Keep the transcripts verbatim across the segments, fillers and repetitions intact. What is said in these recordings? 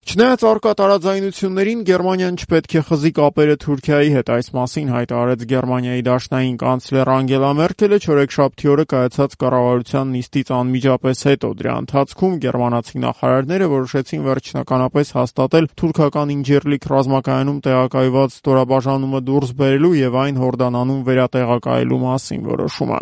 Չնայած առկա տարաձայնություններին, Գերմանիան չպետք է խզի կապերը Թուրքիայի հետ, այս մասին հայտարարեց Գերմանիայի դաշնային կանցլեր Անգելա Մերքելը չորեքշաբթի օրը կայացած կառավարության նիստից անմիջապես հետո։ Դրա ընթացքում գերմանացի նախարարները որոշեցին վերջնականապես հաստատել թուրքական Ինջիրլիկ ռազմակայանում տեղակայված ստորաբաժանումը դուրս բերելու եւ այն Հորդանանում վերատեղակայելու մասին որոշումը։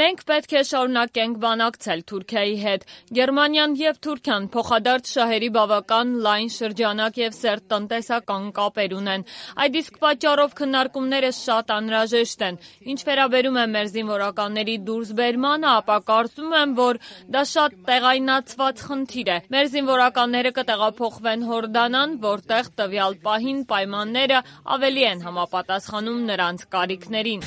Մենք պետք է շարունակենք բանակցել Թուրքիայի հետ։ Գերմանիան եւ Թուրքիան փոխադարձ շահերի բավական լայն շրջանակ եւ սերտ տնտեսական կապեր ունեն։ Այդ իսկ պատճառով քննարկումները շատ անհրաժեշտ են։ Ինչ վերաբերում է մեր զինվորականների դուրսբերմանը, ապա կարծում եմ, որ դա շատ տեղայնացված խնդիր է։ Մեր զինվորականները կտեղափոխվեն Հորդանան, որտեղ տվյալ պահին պայմանները ավելի են համապատասխանում նրանց կարիքներին։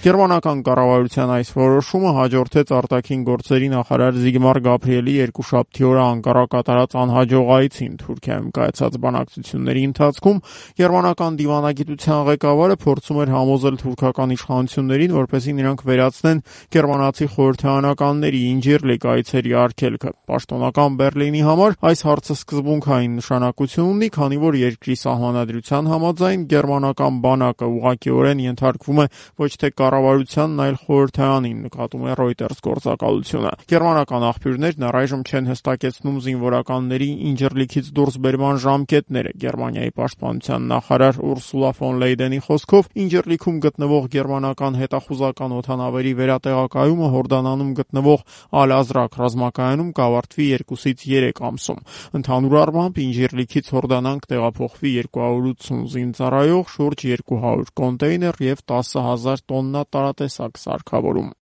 Գերմանական կառավարության այս որոշումը հաջորդեց արտաքին գործերի նախարար Զիգմար Գաբրիելի երկուշաբթի օրը Անկարա կատարած անհաջող այցին Թուրքիայում կայացած բանակցությունների ընթացքում գերմանական դիվանագիտության ղեկավարը փորձում էր համոզել թուրքական իշխանություններին, որպեսզի նրանք վերացնեն գերմանացի խորհրդարանականների Ինջիրլիկ այցերի արգելքը։ Պաշտոնական Բերլինի համար այս հարցը սկզբունքային նշանակություն ունի, քանի որ երկրի սահմանադրության համաձայն գերմանական բանակը ուղղակիորեն ենթարկվում է ոչ թե կառավարությանն, այլ խորհրդարանին, նկատում է Reuters գործակալությունը։ Գերմանական աղբյուրներն առայժմ չեն հստակեցնում զինվորականների Ինջիրլիքից դուրսբերման ժամկետները։ Գերմանիայի պաշտպանության նախարար Ուրսուլա ֆոն Լեյդենի խոսքով Ինջիրլիքում գտնվող գերմանական հետախուզական օդանավերի վերատեղակայումը Հորդանանում գտնվող Ալ-Ազրակ ռազմակայանում կավարտվի երկուսից երեք ամսում։ Ընդհանուր առմամբ Ինջիրլիքից Հորդանան կտեղափոխվի երկու հարյուր ութսուն զինծառայող, շուրջ երկու հարյուր կոնտեյներ եւ տասը հազար տոննա տարատեսակ սարքավորում։